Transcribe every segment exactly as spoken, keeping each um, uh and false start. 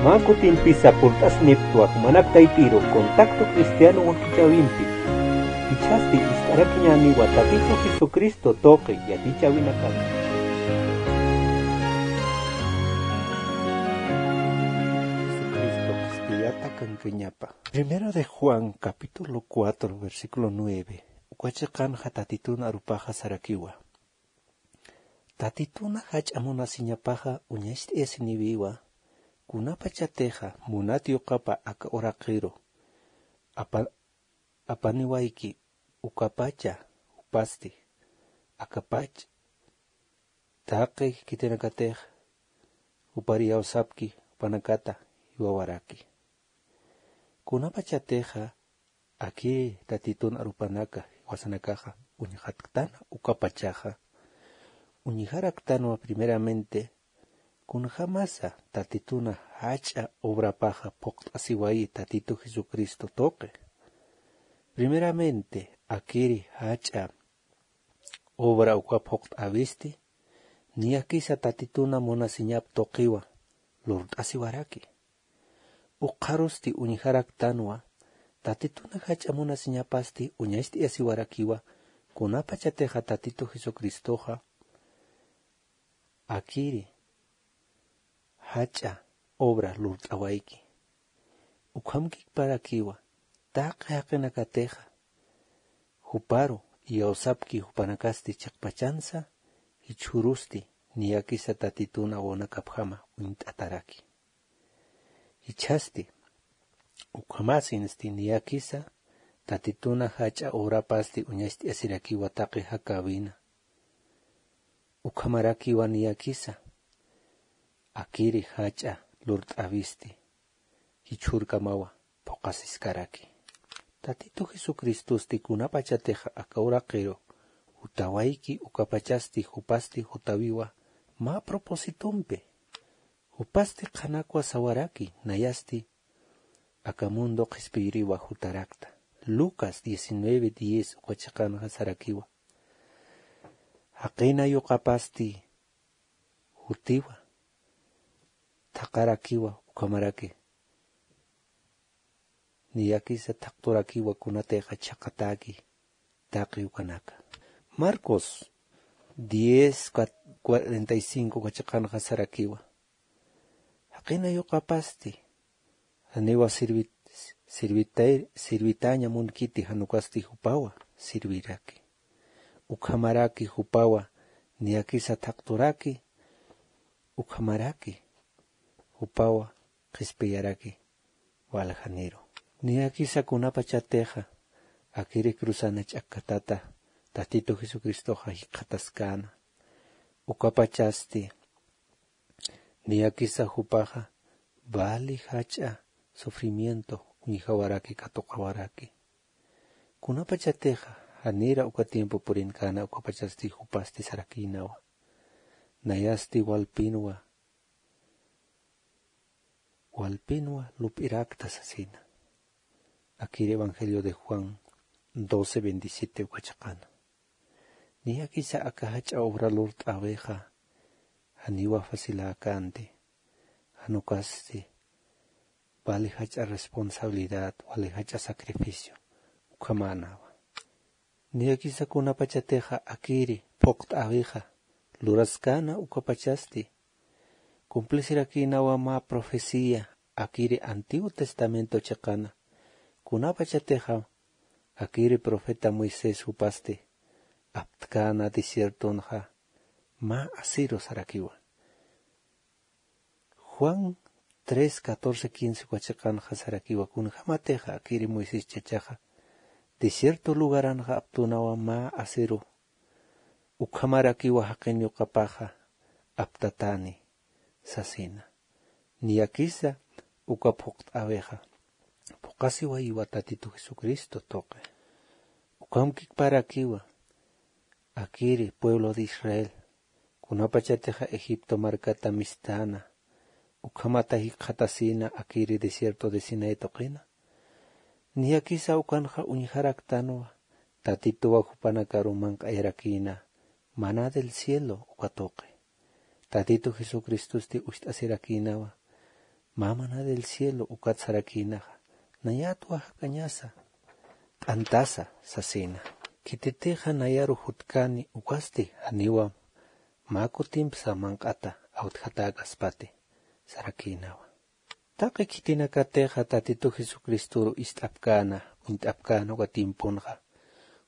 Mä kutimpisa purt'asniptwa jumanak taypiru Contacto Cristiano wakichäwimpi. Jichhasti ist'arakiñäniwa Tatitu Jesucristo tuqi yatichäwinakata. Jesucristo qhispiyata kankañapa. Primero de Juan, capítulo cuatro, versículo nueve. Uka chiqanxa Tatitun arupaxa sarakiwa. Tatituna jach'a munasiñapaxa uñacht'ayasiniwiwa, kunapachatixa munat yuqapa aka uraqiru apa-, apaniwayki ukapacha jupasti, akapach taqi khitinakatix jupar iyawsapki jupanakata jiwawaraki. Kunapachatixa akï Tatitun arupanaka jiwasanakaxa uñjatktan ukapachaxa, uñjaraktanwa primeramente kunjämasa Tatituna jach'a obrapaxa phuqt'asiwayi Tatitu Jesucristo tuqi. Primeramente, akïri jach'a obra uka phuqt'äwisti, niyakisa Tatituna munasiñap tuqiwa lurt'asiwaraki. Ukxarusti uñjaraktanwa, Tatituna jach'a munasiñapasti uñacht'ayasiwarakiwa, kunapachatixa Tatitu Jesucristoxa akïri jach'a obra lurt'awayki. Ukhamkikparakiwa, taqi jaqinakatixa juparu iyawsapki jupanakasti chiqpachansa, jichhürusti niyakisa Tatitun awanakapjama uñt'ataraki. Jichhasti, ukhamäsinsti niyakisa Tatituna jach'a obrapasti uñacht'ayasirakiwa taqi jakäwina. Ukhamarakiwa niyakisa akïri jach'a lurt'äwisti jichhürkamawa phuqasiskaraki. Tatitu Jesucristosti kunapachatixa aka uraqiru jutawayki ukapachasti jupasti jutawiwa mä propósitompi. Jupasti qhanakwa sawaraki, nayasti aka mundo qhispiyiriwa jutarakta. Lucas diecinueve diez uka chiqanxa sarakiwa. Jaqina yuqapasti jutiwa, thaqarakiwa, ukhamaraki niyakisa thaqturakiwa kunatixa chhaqatäki taqi ukanaka. Marcos diez cuarenta y cinco uka chiqanxa sarakiwa. Jaqina yuqapasti janiwa sirvit-, sirvitay-, sirvitäña munkiti, jan ukasti jupawa sirviraki. Ukhamaraki jupawa niyakisa thaqturaki, ukhamaraki jupawa qhispiyaraki waljaniru. Niyakisa kunapachatixa akïri cruzana ch'akkatata Tatitu Jesucristoxa jikxataskäna. Ukapachasti niyakisa jupaxa vali jach'a sufrimiento uñjawaraki katuqawaraki. Kunapachatixa janira uka tiempo purinkäna ukapachasti jupasti sarakïnawa. Nayasti walpinwa, walpinwa lup'irakta sasina. Akïri Evangelio de Juan doce veintisiete uka chiqana. Niyakisa aka jach'a obra lurt'äwixa janiwa faciläkänti, jan ukasti vali jach'a responsabilidad, vali jach'a sacrificio ukhamänawa. Niyakisa kunapachatixa akïri phuqt'äwixa luraskäna ukapachasti cumplisirakïnawa mä profecía akïri Antiguo Testamento chiqana, kunapachatixa akïri profeta Moisés jupasti aptkäna desiertonxa mä asiru sarakiwa. Juan tres, catorce, quince uka chiqanxa sarakiwa, kunjämatixa akïri Moisés chachaxa desierto lugaranxa aptunawa mä asiru, ukhamarakiwa jaqin yuqapaxa aptatäni sasina. Niyakisa uka phuqt'äwixa phuqasiwayiwa Tatitu Jesucristo tuqi. Ukhamkikparakiwa akïri pueblo de Israel kunapachatixa Egipto markata misthäna, ukhamata jikxatasïna akïri desierto de Sinaí tuqina. Niyakisa ukanxa uñjaraktanwa, Tatituwa jupanakaru manq'ayarakïna maná del cielo uka tuqi. Tatitu Jesucristosti ucht'asirakïnawa Mä mana del cielo ukat sarakïnaxa, nayatwa jak'añasa t'antasa sasina. Khititixa nayaru jutkani ukasti janiwa mä kutimpsa manq'ata awtjatäkaspati sarakïnawa. Taqi khitinakatixa Tatitu Jesucristoru ist'apkäna, uñt'apkäna uka tiemponxa,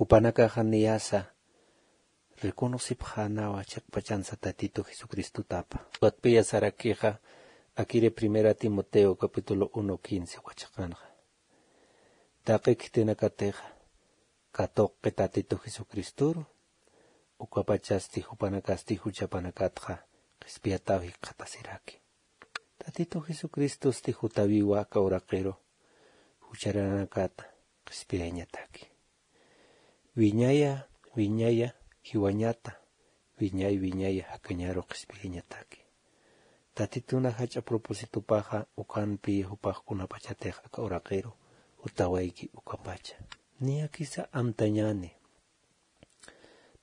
jupanakaxa niyasa reconocipxänawa chiqpachansa Tatitu Jesucristotapa. Ukatpiya sarakixa, akiri Primera Timoteo capítulo uno quince uka chiqanxa. Taqi khitinakatixa, katuqi Tatitu Jesucristoru, ukapachasti jupanakasti juchapanakatxa qhispiyataw jikxatasiraki. Tatitu Jesucristosti jutawiwa aka uraqiru jucharanakata qhispiyañataki. Wiñaya, wiñaya, jiwañata, wiñay, wiñaya, jakañaru qhispiyañataki. Tatituna jach'a propósitopaxa ukanpi jupax kunapachatix aka uraqiru jutawayki ukapacha. Niyakisa amtañäni.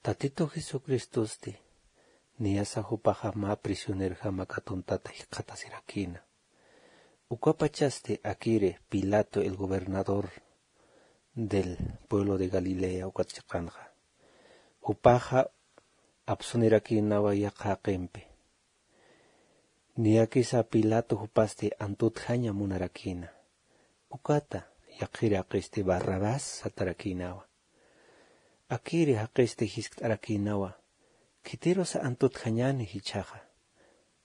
Tatitu Jesucristosti, niyasa jupaxa mä prisionerjama katuntata jikxatasirakïna. Ukapachasti akiri Pilato el gobernador del pueblo de Galilea ukat chiqanxa. Jupaxa apsunirakïnawa yaqha jaqimpi. Niyakisa Pilato jupasti antutjaña munarakïna. Ukata, yaqhiri jaqisti Barrabás satarakïnawa. Akiri jaqisti jiskt'arakïnawa. Khitirusa antutjañäni jichhaxa.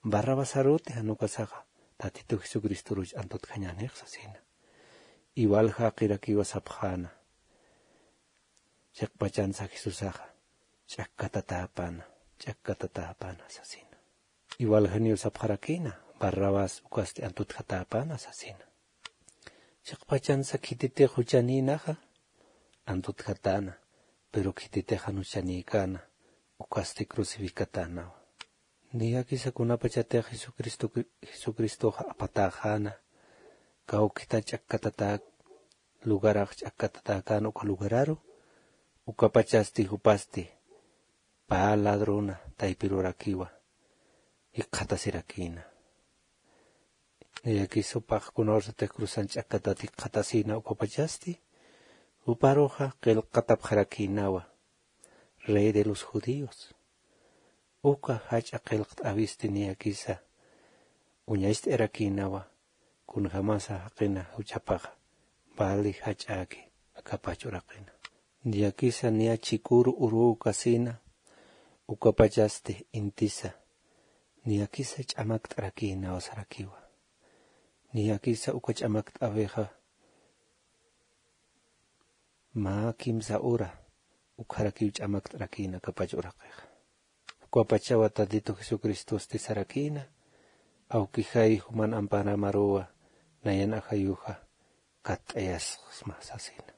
Barrabasaruti jan ukasaxa, Tatitu Jesucristoruch antutjañänix sasina. Iwal jaqirakiwa sapxäna. Chiqpachansa Jesusaxa, ch'akkatatäpana, ch'akkatatäpana sasina. Iwal janiw sapxarakïna, Barrabás ukasti antutjatäpana sasina. Chiqpachansa khititix juchanïnaxa, antutjatäna, pero khititix jan juchanïkäna, ukasti crucificatänawa. Niyakisa kunapachatix Jesucristo, Jesucristoxa apatäxäna, kawkita ch'akkatatäk, lugarax ch'akkatatäkäna uka lugararu, ukapachasti jupasti, pä ladrona taypirurakiwa, jikxatasirakïna. Niyakisa jupax kunawsatix cruzan ch'akkatat jikxatasïna ukapachasti, juparuxa qillqatapxarakïnawa, Rey de los Judíos. Uka jach'a qillqt'äwisti niyakisa, uñacht'irakïnawa, kunjamasa jaqina juchapaxa, vali jach'äki, akapach uraqina. Niyakisa niya chiküru uruw kasina, ukapachasti intisa, niyakisa ch'amakt'arakïnawa sarakiwa. Niyakisa uka ch'amakt'äwixa, mä kimsa ura, ukharakiw ch'amakt'arakïna akapach uraqixa. Ukapachawa Tatitu Jesucristosti sarakïna, awkijay juman amparamaruwa, nayan ajayuxa, katt'ayasxsma sasina.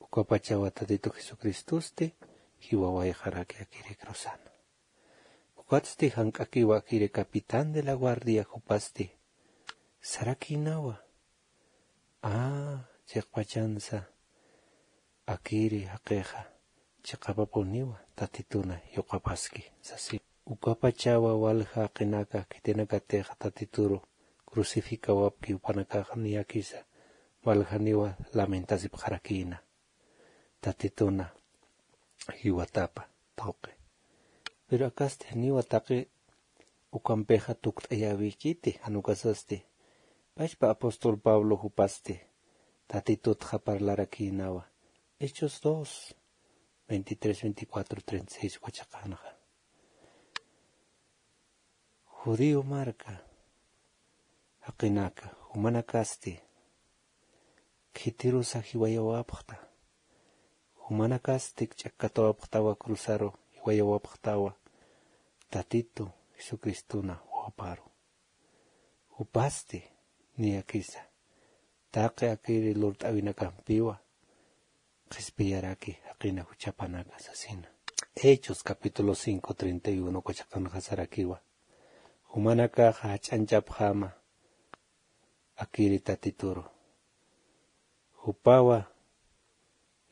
Ukapachawa Tatitu Jesucristosti, jiwawayxaraki akiri cruzana. Ukatsti jank'akiwa akiri capitán de la guardia jupasti, sarakïnawa. A, chiqpachansa, akiri jaqixa, chiqapapuniwa, Tatituna yuqapaski, sasi. Ukapachawa walja jaqinaka, khitinakatixa Tatituru, crucificawapki jupanakaxa niyakisa, waljaniwa lamentasipxarakïna. Tatituna jiwatapa tuqi. Pero akasti janiwa taqi ukampixa tukt'ayäwikiti, jan ukasasti. Pachpa apóstol Pablo jupasti, Tatitutxa parlarakïnawa. Hechos dos, veintitrés, veinticuatro, treinta y seis uka chiqanxa. Judío marka jaqinaka, jumanakasti, khitirusa jiwayawapxta, jumanakasti ch'akkatawapxtawa cruzaru, jiwayawapxtawa, Tatitu Jesucristuna wawaparu. Jupasti, niyakisa, taqi akiri lurt'äwinakampiwa, qhispiyaraki jaqina juchapanaka sasina. Hechos capítulo cinco, treinta y uno uka chiqanxa sarakiwa. Jumanakaxa jach'añchapxäma akiri Tatituru. Jupawa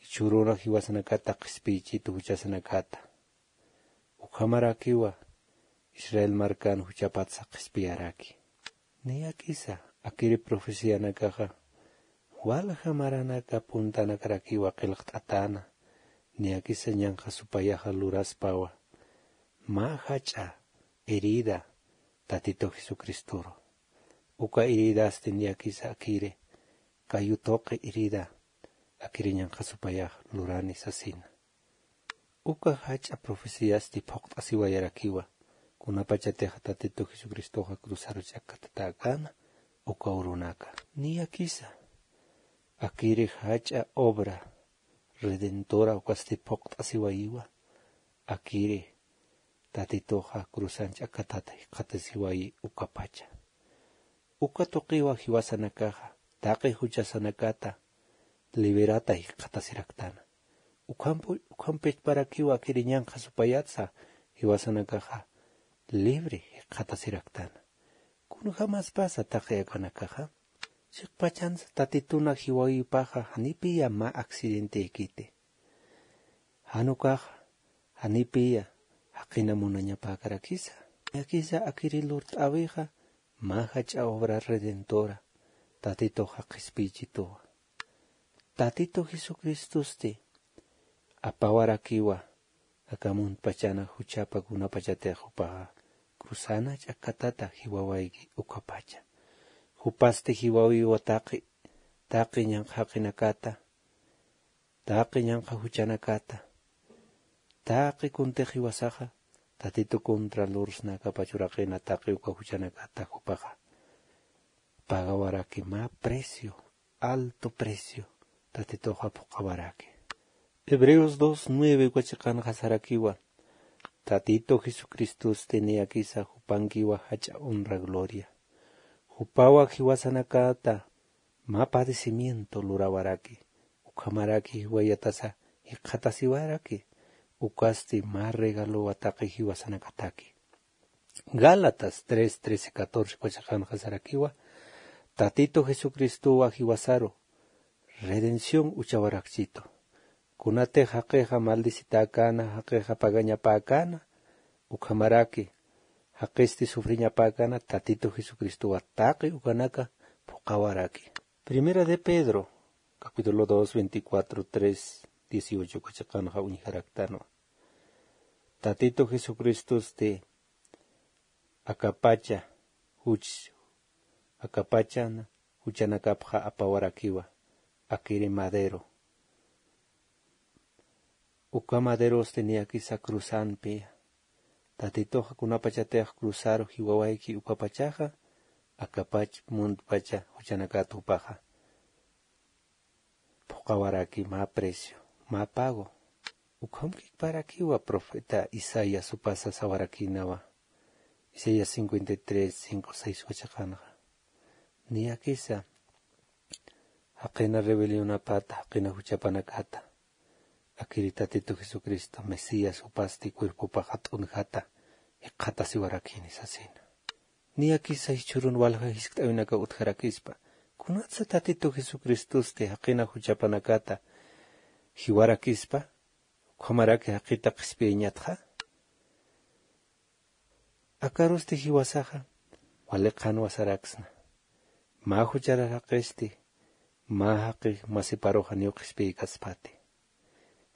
jichhüruna jiwasanakata qhispiychitu juchasanakata. Ukhamarakiwa Israel markan juchapatsa qhispiyaraki. Niyakisa akiri profecianakaxa walja maranaka puntanakarakiwa qillqt'atäna. Niyakisa ñanqha supayaxa luraspawa mä jach'a herida Tatitu Jesucristoru. Uka heridasti niyakisa akiri kayu tuqi herida akiri ñanqha supayax lurani sasina. Uka jach'a profeciasti phuqt'asiwayarakiwa kunapachatixa Tatitu Jesucristoxa cruzaru ch'akkatatäkäna uka urunaka. Niyakisa akiri jach'a obra redentora ukasti phuqt'asiwayiwa. Akiri Tatituxa cruzan ch'akkatata jikxatasiwayi ukapacha. Uka tuqiwa jiwasanakaxa taqi juchasanakata liberata jikxatasiraktana. Ukhampu ukhampitparakiwa akiri ñanqha supayatsa jiwasanakaxa libre jikxatasiraktana. Kunjämaspasa taqi akanakaxa chiqpachansa Tatituna jiwawipaxa janipiya mä accidenteykiti. Jan ukaxa janipiya jaqina munañapäkarakisa. Niyakisa akiri lurt'äwixa mä jach'a obra redentora Tatituxa qhispiychituwa. Tatitu Jesucristosti apawarakiwa aka muntpachana juchapa kunapachatix jupaxa cruzana ch'akkatata jiwawayki ukapacha. Jupasti jiwawiwa taqi taqi ñanqha jaqinakata taqi ñanqha juchanakata. Taqi kuntix jiwasaxa Tatitu contra lursnakapach uraqina taqi uka juchanakata jupaxa pagawaraki mä precio, alto precio Tatituxa phuqhawaraki. Hebreos dos nueve uka chiqanxa sarakiwa Tatitu Jesucristosti niyakisa jupankiwa jach'a honra gloria. Jupawa jiwasanakata mä padecimiento lurawaraki ukhamaraki jiwayatasa jikxatasiwaraki. Ukasti mä regalowa taqi jiwasanakataki. Gálatas tres trece catorce uka chiqanxa sarakiwa Tatitu Jesucristowa jiwasaru redención uchawarakchitu. Kunatix jaqixa maldicitäkäna jaqixa pagañapäkäna ukhamaraki jaqisti sufriñapäkäna Tatitu Jesucristowa taqi ukanaka phuqhawaraki. Primera de Pedro capítulo dos veinticuatro tres dieciocho uka chiqanxa uñjaraktanwa. Tatitu Jesucristosti akapacha juch akapachan juchanakapxa apawarakiwa akiri madero. Uka maderosti niyakisa cruzanpi Tatituxa kunapachatix cruzaru jiwawayki ukapachaxa akapach muntpacha juchanakat jupaxa phuqhawaraki mä precio mä pago. Ukhamkikparakiwa profeta Isaías jupasa sawarakïnawa. Isaías cincuenta y tres cinco seis uka chiqanxa niyakisa jaqina rebelionapata jaqina juchapanakata akiri Tatitu Jesucristo Mesías jupasti cuerpopaxa t'unjata jikxatasiwarakini sasina. Niyakisa jichhürun walja jiskt'äwinakaw utjarakispa kunatsa Tatitu Jesucristosti jaqina juchapanakata jiwarakispa ukhamaraki jaqita qhispiyañatxa. Akarusti jiwasaxa wali qhanwa saraksna. Mä jucharar jaqisti mä jaqi masiparux janiw qhispiykaspati.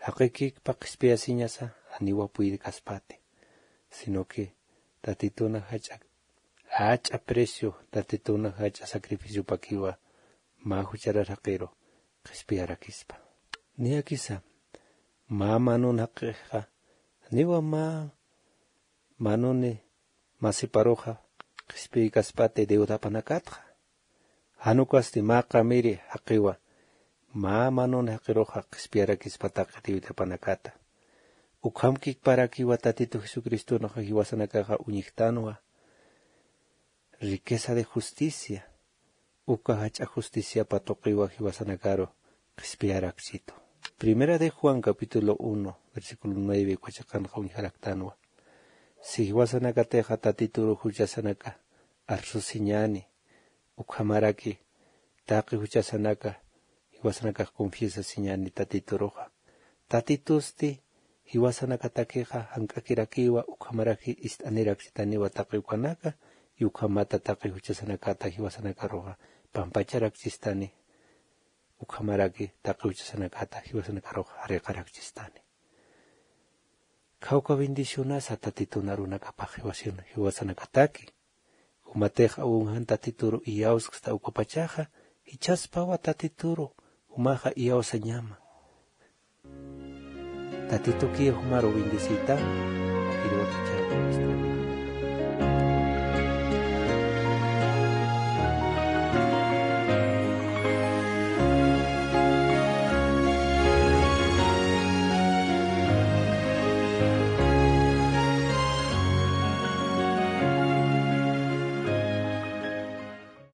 Jaqikikpa qhispiyasiñasa janiwa puydkaspati. Sino que Tatituna jach'a jach'a precio Tatituna jach'a sacrificiopakiwa mä jucharar jaqiru qhispiyarakispa. Niyakisa mä manun jaqixa janiwa mä manuni masiparuxa qhispiykaspati deudapanakatxa. Jan ukasti mä qamiri jaqiwa mä manun jaqiruxa qhispiyarakispa taqi deudapanakata. Ukhamkikparakiwa Tatitu Jesucristonxa jiwasanakaxa uñjtanwa riqueza de justicia. Uka jach'a justiciapa tuqiwa jiwasanakaru qhispiyarakchitu. Primera de Juan capítulo uno versículo nueve uka chiqanxa uñjaraktanwa. Si jiwasanakatixa Tatituru juchasanaka arsusiñani ukhamaraki taqi juchasanaka jiwasanakax confiesasiñani Tatituruxa. Tatitusti jiwasanakatakixa jank'akirakiwa ukhamaraki ist'anirakchitaniwa taqi ukanaka Ukhamata taqi juchasanakata jiwasanakaruxa pampacharakchistani. Ukhamaraki taqi juchasanakata jiwasanakaruxa jariqarakchistani. Khawka bendicionasa tatitun arunakapax jiwasin- jiwasanakataki. Jumatix awinjan tatituru iyawsksta ukapachaxa, jichhaspawa tatituru jumaxa iyawsañama. Tatitukiy jumaru bendeciyta. Irwatichäwista.